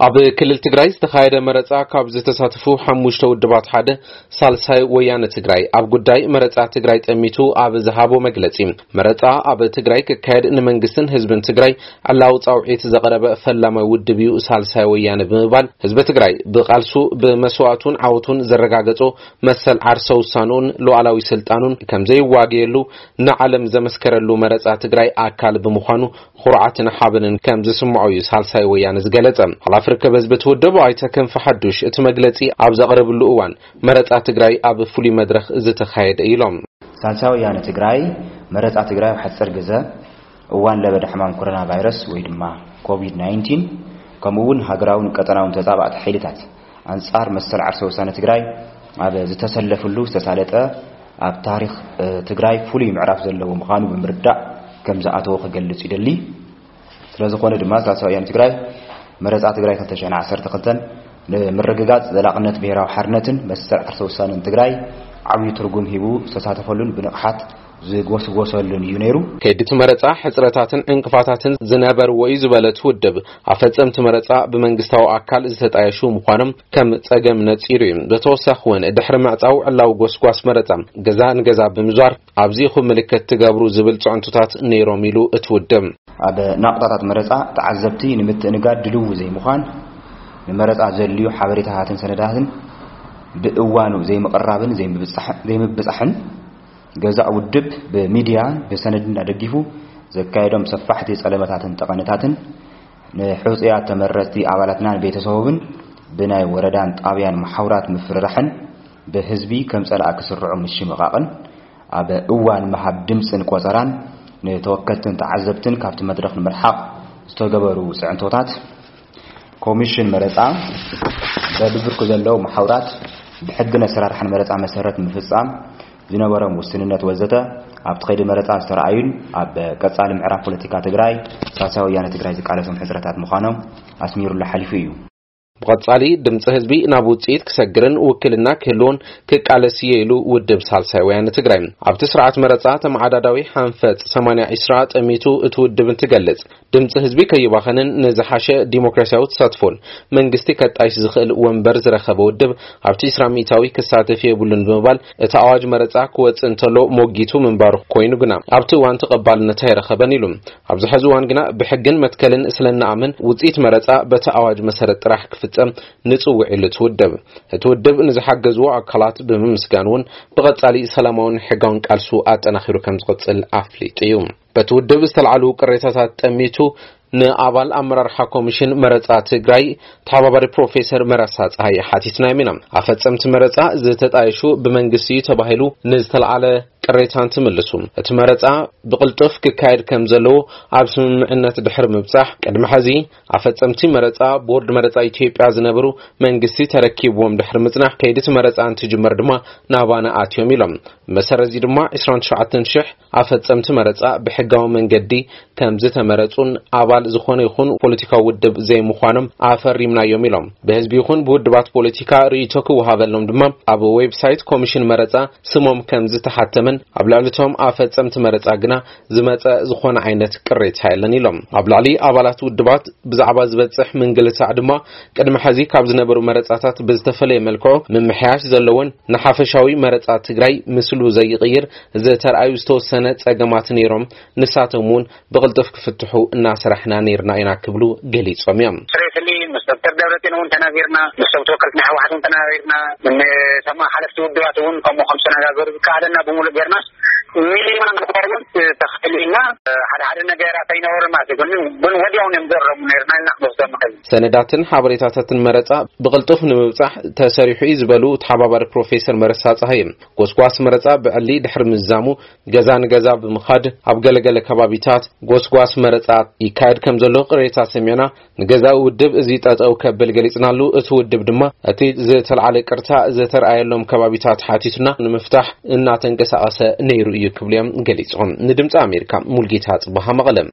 ኣብ ክልል ትግራይ ዝተኻየደ መረጻ ካብ ዝተሳተፉ ሓሙሽተ ውድባት ሓደ ሳልሳይ ወያነ ትግራይ ኣብ ጉዳይ መረጻ ትግራይ ጠሚቱ ኣብ ዝሃቦ መግለጺ፣ መረጻ ኣብ ትግራይ ክካየድ ንመንግስትን ህዝብን ትግራይ ዕላዊ ጻውዒት ዘቕረበ ፈላማይ ውድብ እዩ ሳልሳይ ወያነ ብምባል፣ ህዝቢ ትግራይ ብቃልሱ ብመስዋእቱን ዓወቱን ዘረጋገጾ መሰል ዓርሰ ውሳንኡን ሉዓላዊ ስልጣኑን ከም ዘይዋገየሉ ንዓለም ዘመስከረሉ መረጻ ትግራይ ኣካል ብምዃኑ ኩርዓትን ሓበንን ከም ዝስምዖ እዩ ሳልሳይ ወያነ ዝገለጸ። ሓላፊ ርክብ ህዝቢ እቲ ውድብ ኣይተ ክንፈ ሓዱሽ እቲ መግለጺ ኣብ ዘቕረብሉ እዋን፣ መረጻ ትግራይ ኣብ ፍሉይ መድረኽ ዝተኻየደ ኢሎም። ሳልሳይ ወያነ ትግራይ መረጻ ትግራይ ኣብ ሓጺር ግዘ እዋን ለበዳ ሕማም ኮሮና ቫይረስ ወይ ድማ ኮቪድ ናይንቲን፣ ከምኡ እውን ሃገራውን ቀጠናውን ተጻባእቲ ሓይልታት ኣንጻር መሰል ዓርሰ ውሳነ ትግራይ ኣብ ዝተሰለፍሉ ዝተሳለጠ፣ ኣብ ታሪኽ፣ እ፣ ትግራይ ፍሉይ ምዕራፍ ዘለዎ ምዃኑ ብምርዳእ ከም ዝኣተወ ክገልጽ ይደሊ። ስለ ዝኾነ ድማ ሳልሳይ ወያነ ትግራይ መረጻ ትግራይ ክልተ ሽሕን ዓሰርተ ክልተን ንምርግጋጽ ዘላቕነት ብሄራዊ ሓርነትን መሰል ዓርሰ ውሳነን ትግራይ ዓብዪ ትርጉም ሂቡ ዝተሳተፈሉን ብንቕሓት ዝጎስጎሰሉን እዩ ነይሩ። ከይዲ እቲ መረጻ ሕጽረታትን ዕንቅፋታትን ዝነበርዎ እዩ ዝበለ እቲ ውድብ፣ ኣፈጸምቲ መረጻ ብመንግስታዊ ኣካል ዝተጣየሹ ምዃኖም ከም ጸገም ነጺሩ እዩ። ብተወሳኺ እውን ድሕሪ ምዕጻው ዕላዊ ጎስጓስ መረጻ ገዛ ንገዛ ብምዟር ኣብዚ ኢኹም ምልክት ትገብሩ ዝብል ጽዕንቶታት ነይሮም ኢሉ እቲ ውድብ። ኣብ ናቕጣታት መረጻ ተዓዘብቲ ንምትእንጋድ ድልው ዘይምዃን፣ ንመረጻ ዘድልዩ ሓበሬታታትን ሰነዳትን ብእዋኑ ዘይምቕራብን ዘይምብጻሕ-፣ ዘይምብጻሕን፣ ገዛእ ውድብ ብሚድያ ብሰነድን ኣደጊፉ ዘካየዶም ሰፋሕቲ ጸለመታትን ጠቐነታትን፣ ንሕጹያት ተመረጽቲ ኣባላትናን ቤተሰቦምን ብናይ ወረዳን ጣብያን መሓውራት ምፍርራሕን ብህዝቢ ከም ጸላእ ክስርዑ ምሽምቓቕን፣ ኣብ እዋን ምሃብ ድምጽን ቆጸራን ንተወከልትን ተዓዘብትን ካብቲ መድረኽ ንምርሓቕ ዝተገበሩ ጽዕንቶታት፣ ኮሚሽን መረጻ በብብርኩ ዘለዉ መሓውራት ብሕግን ኣሰራርሓን መረጻ መሰረት ምፍጻም ዝነበሮም ውስንነት ወዘተ ኣብቲ ከይዲ መረጻ ዝተረኣዩን ኣብ ቀጻሊ ምዕራፍ ፖለቲካ ትግራይ ሳልሳይ ወያነ ትግራይ ዝቃለሶም ሕጽረታት ምዃኖም ኣስሚሩሉ ሓሊፉ እዩ። ብቐጻሊ ድምጺ ህዝቢ ናብ ውጽኢት ክሰግርን ውክልና ክህልዎን ክቃለስ እየ ኢሉ ውድብ ሳልሳይ ወያነ ትግራይ። ኣብቲ ስርዓት መረጻ ተመዓዳዳዊ ሓንፈጽ ሰማንያ ዒስራ ጠሚቱ እቲ ውድብ እንትገልጽ፣ ድምጺ ህዝቢ ከይባኸንን ንዝሓሸ ዲሞክራሲያዊ ተሳትፎን መንግስቲ ከጣይሽ ዝኽእል ወንበር ዝረኸበ ውድብ ኣብቲ ዒስራ ሚእታዊ ክሳተፍ የብሉን ብምባል እቲ ኣዋጅ መረጻ ክወጽእ እንተሎ ሞጊቱ ምንባሩ ኮይኑ ግና ኣብቲ እዋን ተቐባልነት ኣይረኸበን ኢሉ። ኣብዚ ሕዚ እዋን ግና ብሕግን መትከልን ስለ እንኣምን ውጽኢት መረጻ በቲ ኣዋጅ መሰረት ጥራሕ ክፍጸም ንጽውዕ ኢሉ እቲ ውድብ። እቲ ውድብ ንዝሓገዝዎ ኣካላት ብምምስጋን እውን ብቐጻሊ ሰላማውን ሕጋውን ቃልሱ ኣጠናኺሩ ከም ዝቕጽል ኣፍሊጡ እዩ። በቲ ውድብ ዝተልዓሉ ቅሬታታት ጠሚቱ ንኣባል ኣመራርሓ ኮሚሽን መረጻ ትግራይ ተሓባባሪ ፕሮፌሰር መረሳ ጸሃየ ሓቲትናዮም ኢና። ኣፈጸምቲ መረጻ ዝተጣየሹ ብመንግስቲ እዩ ተባሂሉ ንዝተልዓለ ቅሬታ እንትምልሱ፣ እቲ መረጻ ብቕልጡፍ ክካየድ ከም ዘለዎ ኣብ ስምምዕነት ድሕሪ ምብጻሕ፣ ቅድሚ ሕዚ ኣፈጸምቲ መረጻ ቦርድ መረጻ ኢትዮጵያ ዝነበሩ መንግስቲ ተረኪብዎም ድሕሪ ምጽናሕ፣ ከይዲ እቲ መረጻ እንትጅመር ድማ ናባና ኣትዮም ኢሎም። መሰረት እዚ ድማ ዕስራን ትሽዓተን ሽሕ ኣፈጸምቲ መረጻ ብሕጋዊ መንገዲ ከም ዝተመረጹን ኣባል ዝኾነ ይኹን ፖለቲካዊ ውድብ ዘይምዃኖም ኣፈሪምናዮም ኢሎም። ብህዝቢ ይኹን ብውድባት ፖለቲካ ርእይቶ ክወሃበሎም ድማ ኣብ ዌብሳይት ኮሚሽን መረጻ ስሞም ከም ዝተሓተመን ኣብ ልዕሊ እቶም ኣፈጸምቲ መረጻ ግና ዝመጸ ዝኾነ ዓይነት ቅሬታ የለን ኢሎም። ኣብ ልዕሊ ኣባላት ውድባት ብዛዕባ ዝበጽሕ ምንግልታዕ ድማ ቅድሚ ሕዚ ካብ ዝነበሩ መረጻታት ብዝተፈለየ መልክዑ ምምሕያሽ ዘለዎን ንሓፈሻዊ መረጻ ትግራይ ምስሉ ዘይቕይር ዝተርኣዩ ዝተወሰነ ጸገማት ነይሮም፣ ንሳቶም እውን ብቕልጡፍ ክፍትሑ እናሰራሕና ነይርና ኢና ክብሉ ገሊጾም እዮም። ፕሬስሊ ምስ ዶክተር ደብረጽዮን እውን ተናጊርና፣ ምስ ሰብ ተወከልቲ ናይ ህወሓት እውን ተናጊርና፣ ንሰማ ሓለፍቲ ውድባት እውን ከምኡ ከም ዝተነጋገሩ ዝከኣለና ብምሉእ ጌርናስ ሚኒማም ሪኳርመንት ተኸሊልና ሓደ ሓደ ነገራት ኣይነበሩ ማለት እዩ። ግን ግን ወዲያው እዮም ዘረሙ ነይርና ኢልና ክንወስዶ ንኽእል። ሰነዳትን ሓበሬታታትን መረጻ ብቕልጡፍ ንምብጻሕ ተሰሪሑ እዩ ዝበሉ ተሓባባሪ ፕሮፌሰር መረሳ ጸሃየ፣ ጎስጓስ መረጻ ብዕሊ ድሕሪ ምዝዛሙ ገዛ ንገዛ ብምኻድ ኣብ ገለገለ ከባቢታት ጎስጓስ መረጻ ይካየድ ከም ዘሎ ቅሬታ ሰሚዕና፣ ንገዛኢ ውድብ እዚ ጠጠው ከብል ገሊጽናሉ፣ እቲ ውድብ ድማ እቲ ዝተልዓለ ቅርታ ዝተርኣየሎም ከባቢታት ሓቲቱና ንምፍታሕ እናተንቀሳቐሰ ነይሩ እዩ ክብሉ እዮም ገሊጾም። ንድምጺ ኣሜሪካ ሙልጌታ ጽባሃ መቐለ።